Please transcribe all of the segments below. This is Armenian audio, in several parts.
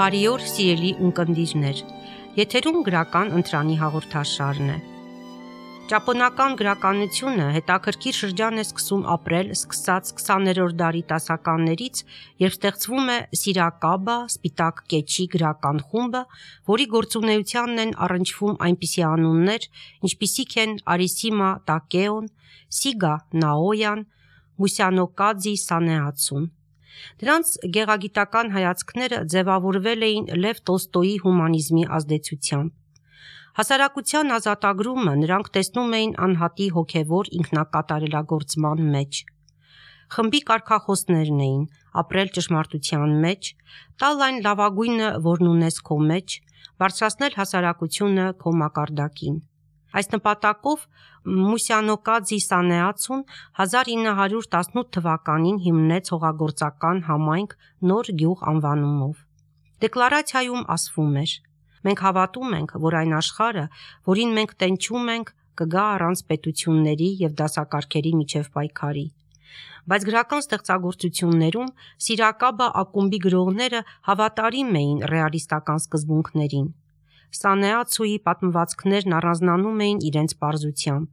Բարի օր, սիրելի ունկնդիրներ, եթերում գրական ընտրանի հաղորդաշարն է։ Ճապոնական գրականությունը հետաքրքիր շրջան է սկսում ապրել սկսած 20-րդ դարի տասականներից, երբ ստեղծվում է Սիրակաբա սպիտակ կեչի գրական խումբը, որի գործունեությանն են առնչվում այնպիսի անուններ, ինչպիսիք են Արիսիմա Տակեոն, Սիգա Նաոյան, Մուսյանոկադզի Սանեացուն։ Դրանց գեղագիտական հայացքները ձևավորվել էին Լև Տոլստոյի հումանիզմի ազդեցությամբ։ Հասարակության ազատագրումը նրանք տեսնում էին անհատի հոգևոր ինքնակատարելագործման մեջ։ Խմբի կարգախոսներն էին ապրել ճշմարտության մեջ, տալ այն լավագույնը, որն ունես քո մեջ, բարձրացնել հասարակությունը քո մակարդակին։ Այս նպատակով Մուսյանոկադզի Սանեացուն 1918 թվականին հիմնեց հողագործական համայնք Նոր գյուղ անվանումով։ Դեկլարացիայում ասվում էր. «Մենք հավատում ենք, որ այն աշխարհը, որին մենք տենչում ենք, կգա առանց պետությունների և դասակարգերի միջև պայքարի»։ Բայց գրական ստեղծագործություններում Սիրակաբա ակումբի գրողները հավատարիմ էին ռեալիստական սկզբունքներին։ Սանեացուի պատմվածքներն առանձնանում էին իրենց պարզությամբ,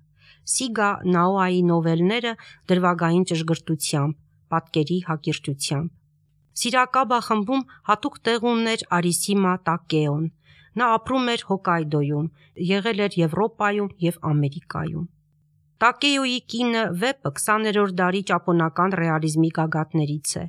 Սիգա Նաոյի նովելները դրվագային ճշգրտությամբ, պատկերի հակիրճությամբ։ Սիրակաբա խմբում հատուկ տեղ ուներ Արիսիմա Տակեոն։ Նա ապրում էր Հոկկայդոյում, եղել էր Եվրոպայում և Ամերիկայում։ Տակեոյի կինը Վեպը 20-րդ դարի ճապոնական ռեալիզմի գագաթներից է։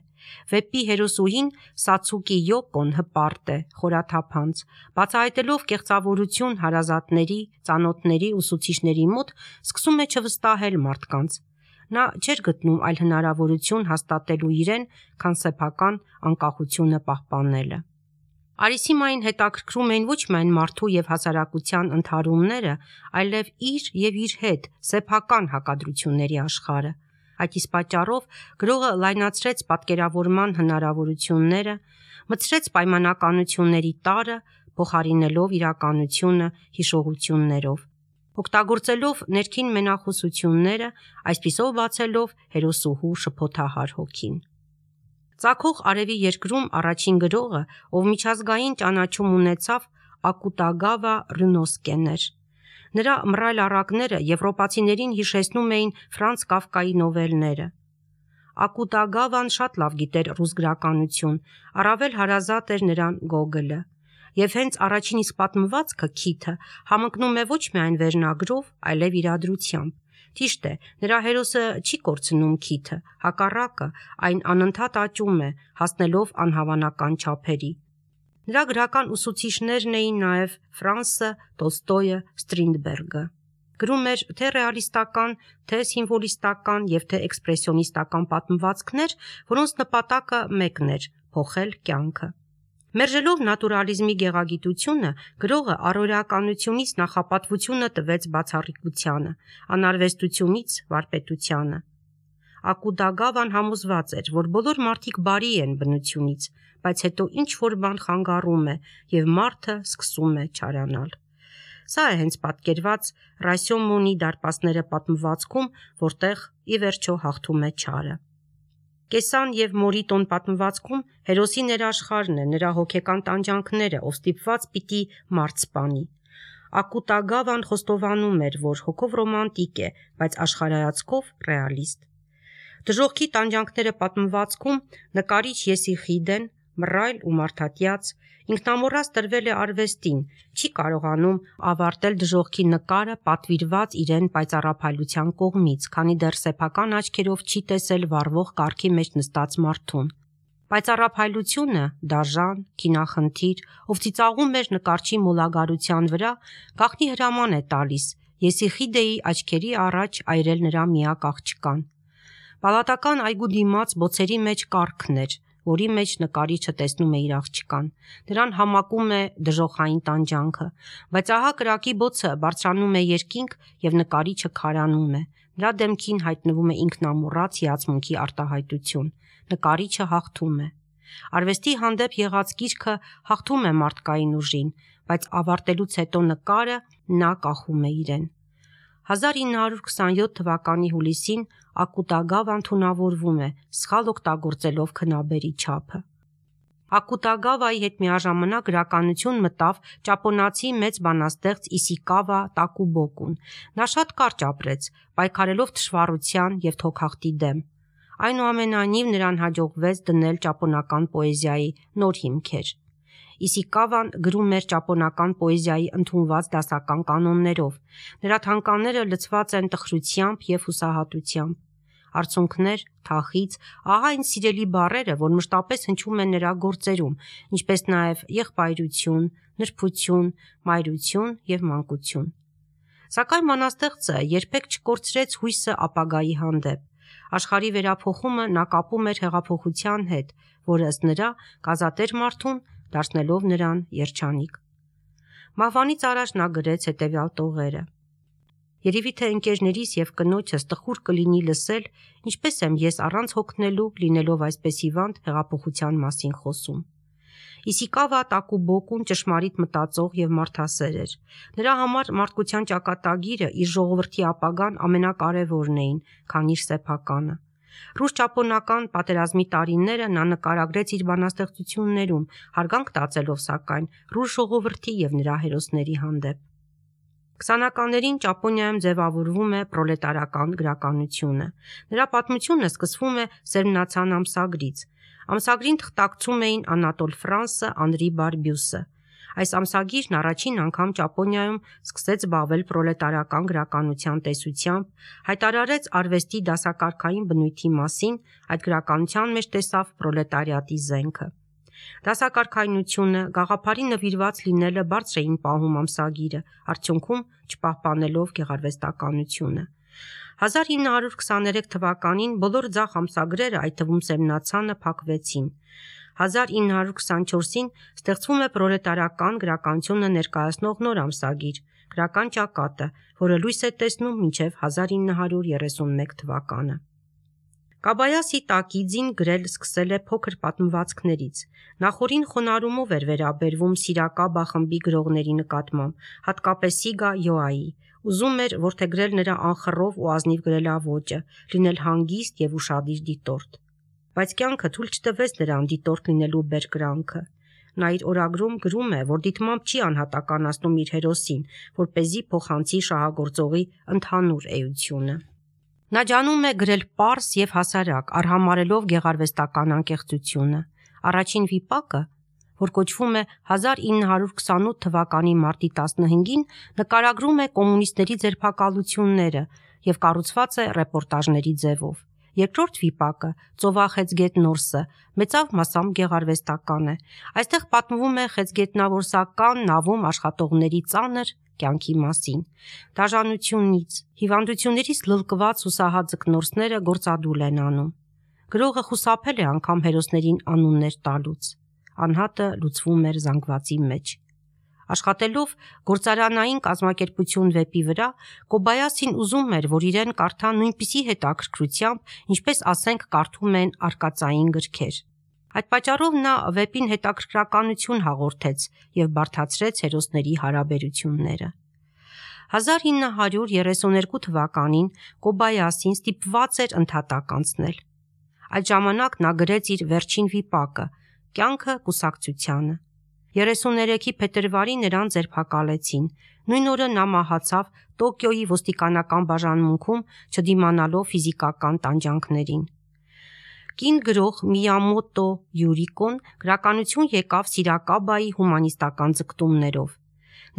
Վեպի հերոսուհին Սացուկի Յոկոն հպարտ է, խորաթափանց, բացահայտելով կեղծավորություն հարազատների, ծանոթների, ուսուցիչների մոտ, սկսում է չվստահել մարդկանց։ Նա չէր գտնում այլ հնարավորություն հաստատելու իրեն, քան սեփական անկախությունը պահպանելը։ Արիսիմային հետաքրքրում էին ոչ միայն մարդու և հասարակության ընդհարումները, այլև իր և իր հետ սեփական հակադրությունների աշխարհը։ Այդ իսկ պատճառով գրողը լայնացրեց պատկերավորման հնարավորությունները, մտցրեց պայմանականությունների տարրը, փոխարինելով իրականությունը հիշողություններով, օգտագործելով ներքին մենախոսությունները, այսպիսով բացելով հերոսուհու շփոթահար հոգին։ Ծագող արևի երկրում առաջին գրողը, ով միջազգային ճանաչում ունեցավ, Ակուտագավա Ռյունոսկեն էր։ Նրա մռայլ առակները եվրոպացիներին հիշեցնում էին Ֆրանց Կաֆկայի նովելները։ Ակուտագավան շատ լավ գիտեր ռուս գրականություն, առավել հարազատ էր նրան Գոգոլը։ Եվ հենց առաջին իսկ պատմվածքը՝ Քիթը, համընկնում է ոչ միայն վերնագրով, այլև իրադրությամբ։ Ճիշտ է, նրա հերոսը չի կորցնում Քիթը, հակառակը, այն անընդհատ աճում է, հասնելով անհավանական չափերի։ Նրա գրական ուսուցիչներն էին նաև Ֆրանսը, Տոլստոյը, Ստրինդբերգը։ Գրում էր թե ռեալիստական, թե սիմվոլիստական և թե էքսպրեսիոնիստական պատմվածքներ, որոնց նպատակը մեկն էր՝ փոխել կյանքը։ Մերժելով նատուրալիզմի գեղագիտությունը, գրողը առօրեականությունից նախապատվությունը տվեց բացառիկությանը, անարվեստությունից վարպետությանը։ Ակուտագավան համոզված էր, որ բոլոր մարդիկ բարի են բնությունից, բայց հետո ինչ-որ բան խանգարում է, և մարդը սկսում է չարանալ։ Սա է հենց պատկերված Ռասյոմոնի դարպասները պատմվածքում, որտեղ ի վերջո հաղթում է չարը։ Կեսան և Մորիտոն պատմվածքում հերոսի ներաշխարհն է, նրա հոգեկան տանջանքները, ով ստիպված պիտի մարդ սպանի։ Ակուտագավան խոստովանում էր, որ հոգով ռոմանտիկ է, բայց աշխարհայացքով ռեալիստ։ Դժոխքի տանջանքները պատմվածքում նկարիչ Եսիխիդեն, մռայլ ու մարդատյաց, ինքնամոռաց տրվել է արվեստին, չի կարողանում ավարտել դժոխքի նկարը պատվիրված իրեն պայծառափայլության կողմից, քանի դեռ սեփական աչքերով չի տեսել վառվող կառքի մեջ նստած մարդուն։ Պայծառափայլությունը, դաժան, քինախնդիր, ով ծիծաղում էր նկարչի մոլագարության վրա, գաղտնի հրաման է տալիս Եսիխիդեի աչքերի առաջ այրել նրա միակ աղջկան։ Պալատական այգու դիմաց բոցերի մեջ կառքն էր, որի մեջ նկարիչը տեսնում է իր աղջկան։ Նրան համակում է դժոխային տանջանքը, բայց ահա կրակի բոցը բարձրանում է երկինք և նկարիչը քարանում է։ Նրա դեմքին հայտնվում է ինքնամոռաց հիացմունքի արտահայտություն։ Նկարիչը հաղթում է։ Արվեստի հանդեպ եղած կիրքը հաղթում է մարդկային ուժին, բայց ավարտելուց հետո նկարը նա կախում է իրեն։ 1927 թվականի հուլիսին Ակուտագավան թունավորվում է, սխալ օգտագործելով քնաբերի չափը։ Ակուտագավայի հետ միաժամանակ գրականություն մտավ ճապոնացի մեծ բանաստեղծ Իսիկավա Տակուբոկուն։ Նա շատ կարճ ապրեց, պայքարելով թշվառության և թոքախտի դեմ։ Այնուամենայնիվ նրան հաջողվեց դնել ճապոնական պոեզիայի նոր հիմքեր։ Իսիկավան գրում էր ճապոնական պոեզիայի ընդունված դասական կանոններով։ Նրա թանգարանները լցված են տխրությամբ և հուսահատությամբ։ Արցունքներ, թախիծ, ահա այն սիրելի բառերը, որ մշտապես հնչում են նրա գործերում, ինչպես նաև եղբայրություն, նրբություն, մայրություն և մանկություն։ Սակայն բանաստեղծը երբեք չկորցրեց հույսը ապագայի հանդեպ։ Աշխարհի վերափոխումը նա կապում էր հեղափոխության հետ, որը ըստ նրա կազատեր մարդուն, դարձնելով նրան երջանիկ։ Մահվանից առաջ նա գրեց հետևյալ տողերը. «Երևի թե ընկերներիս և կնոջս տխուր կլինի լսել, ինչպես եմ ես առանց հոգնելու, լինելով այսպես հիվանդ, հեղափոխության մասին խոսում»։ Իսիկավա Տակուբոկուն ճշմարիտ մտածող և մարդասեր էր։ Նրա համար մարդկության ճակատագիրը իր ժողովրդի ապագան ամենակարևորն էին, քան իր սեփականը։ Ռուս-ճապոնական պատերազմի տարիները նա նկարագրեց իր բանաստեղծություններում, հարգանք տածելով սակայն ռուս ժողովրդի և նրա հերոսների հանդեպ։ 20-ականներին Ճապոնիայում ձևավորվում է պրոլետարական գրականությունը։ Նրա պատմությունը սկսվում է Սերմնացան ամսագրից։ Ամսագրին թղթակցում էին Անատոլ Ֆրանսը, Անրի Բարբյուսը։ Այս ամսագիրն առաջին անգամ Ճապոնիայում սկսեց զբաղվել պրոլետարական գրականության տեսությամբ, հայտարարեց արվեստի դասակարգային բնույթի մասին, այդ գրականության մեջ տեսավ պրոլետարիատի զենքը։ Դասակարգայնությունը, գաղափարի նվիրված լինելը բարձր էին պահում ամսագիրը, արդյունքում չպահպանելով գեղարվեստականությունը։ 1923 թվականին բոլոր ձախ ամսագրերը, այդ թվում Սերմնացանը, փակվեցին։ 1924-ին ստեղծվում է պրոլետարական գրականությունը ներկայացնող նոր ամսագիր՝ «Գրական ճակատը», որը լույս է տեսնում մինչև 1931 թվականը։ Կոբայասի Տակիձին գրել սկսել է փոքր պատմվածքներից։ Նախօրին խոնարհումով էր վերաբերվում Սիրակաբա խմբի գրողների նկատմամբ, հատկապես Սիգա Յոայի։ Ուզում էր որդեգրել նրա անխռով ու ազնիվ գրելաոճը, լինել հանգիստ և ուշադիր դիտորդ։ Բայց կյանքը թույլ չտվեց նրան դիտորդ լինելու բերկրանքը։ Նա իր օրագրում գրում է, որ դիտմամբ չի անհատականացնում իր հերոսին, որպեսզի փոխանցի շահագործողի ընդհանուր էությունը։ Նա ջանում է գրել պարզ և հասարակ, արհամարհելով գեղարվեստական անկեղծությունը։ Առաջին վիպակը, որ կոչվում է 1928 թվականի մարտի 15-ին, նկարագրում է կոմունիստների ձերբակալությունները և կառուցված է ռեպորտաժների ձևով։ Երկրորդ վիպակը՝ Ծովախեցգետ Նորսը, մեծավ մասամբ գեղարվեստական է։ Այստեղ պատմվում է խեցգետնավորսական նավում աշխատողների ծանր կյանքի մասին։ Դաժանությունից, հիվանդություններից լլկված հուսահատ ձկնորսները գործադուլ են անում։ Գրողը խուսափել է անգամ հերոսներին անուններ տալուց։ Անհատը լուծվում էր զանգվածի մեջ։ Աշխատելով գործարանային կազմակերպություն վեպի վրա, Կոբայասին ուզում էր, որ իրեն կարդան նույնպիսի հետաքրքրությամբ, ինչպես ասենք կարդում են արկածային գրքեր։ Այդ պատճառով նա վեպին հետաքրքրականություն հաղորդեց և բարդացրեց հերոսների հարաբերությունները։ 1932 թվականին Կոբայասին ստիպված էր ընդհատակ անցնել։ Այդ ժամանակ նա գրեց իր վերջին վիպակը՝ «Կյանքը կուսակցությանը»։ 33-ի փետրվարի նրան ձերբակալեցին։ Նույն օրը նա մահացավ Տոկիոյի ոստիկանական բաժանմունքում, չդիմանալով ֆիզիկական տանջանքներին։ Կին գրող Միյամոտո Յուրիկոն գրականություն եկավ Սիրակաբայի հումանիստական ձգտումներով։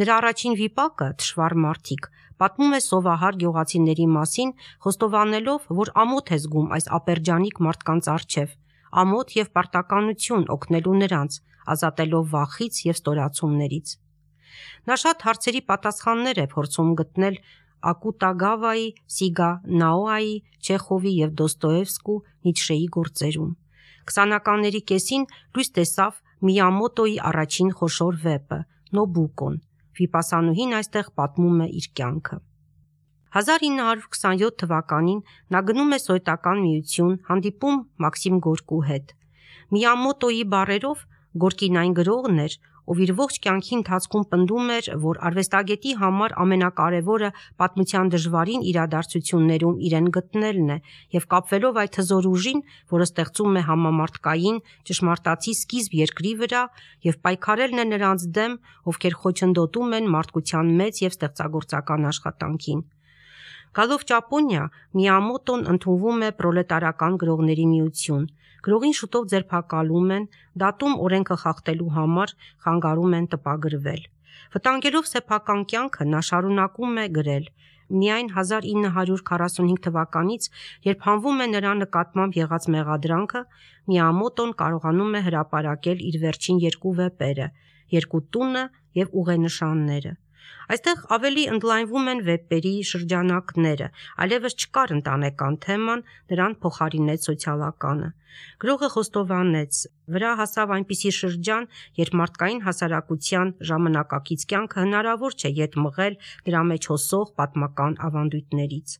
Նրա առաջին վիպակը «Թշվառ մարդիկ» պատմում է սովահար գյուղացիների մասին, խոստովանելով, որ ամոթ է զգում այս ապերջանիկ մարդկանց առջև, ամոթ և պարտականություն օգնելու նրանց, ազատելով վախից և ստորացումներից։ Նա շատ հարցերի պատասխաններ է փորձում գտնել Ակուտագավայի, Սիգա Նաոայի, Չեխովի և Դոստոևսկու, Նիցշեի գործերում։ 20-ականների կեսին լույս տեսավ Միյամոտոյի առաջին խոշոր վեպը՝ Նոբուկոն։ Վիպասանուհին այստեղ պատմում է իր կյանքը։ 1927 թվականին նա գնում է Սովետական Միություն, հանդիպում Մաքսիմ Գորկու հետ։ Միյամոտոյի բառերով՝ Գորկին այն գրողն էր, ով իր ողջ կյանքի ընթացքում պնդում էր, որ արվեստագետի համար ամենակարևորը պատմության դժվարին իրադարձություններում իրեն գտնելն է և կապվելով այդ հզոր ուժին, որը ստեղծում է համամարտկային, ճշմարտացի սկիզբ երկրի վրա և պայքարելն է նրանց դեմ, ովքեր խոչընդոտում են մարդկության մեծ և ստեղծագործական աշխատանքին։ Գալով Ճապոնիա, Միյամոտոն ընդունվում է Պրոլետարական գրողների միություն։ Գրողին շուտով ձերբակալում են, դատում օրենքը խախտելու համար, խանգարում են տպագրվել։ Վտանգելով սեփական կյանքը, նա շարունակում է գրել։ Միայն 1945 թվականից, երբ հանվում է նրա նկատմամբ եղած մեղադրանքը, Միյամոտոն կարողանում է հրապարակել իր վերջին 2 վեպերը՝ «Երկու տունը» և «Ուղենշանները»։ Այստեղ ավելի ընդլայնվում են վեպերի շրջանակները, այլևս չկար ընտանեկան թեման, նրան փոխարինեց սոցիալականը։ Գրողը խոստովանեց. «Վրա հասավ այնպիսի շրջան, երբ մարդկային հասարակության ժամանակակից կյանքը հնարավոր չէ ետ մղել դրա մեջ հոսող պատմական ավանդույթներից»։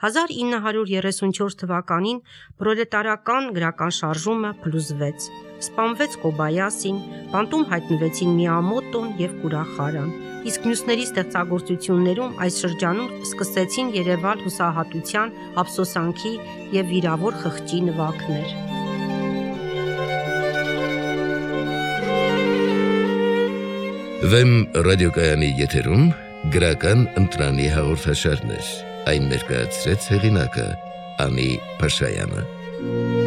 1934 թվականին պրոլետարական գրական շարժումը փլուզվեց։ Սպանվեց Կոբայասին, բանտում հայտնվեցին Միյամոտոն և Կուրախարան, իսկ մյուսների ստեղծագործություններում այս շրջանում սկսեցին երևալ հուսահատության, ափսոսանքի և վիրավոր խղճի նվագներ։ Վեմ ռադիոկայանի եթերում գրական ընտրանի հաղորդաշարներ, այն ներկայացրեց հեղինակը Անի Փաշայանը։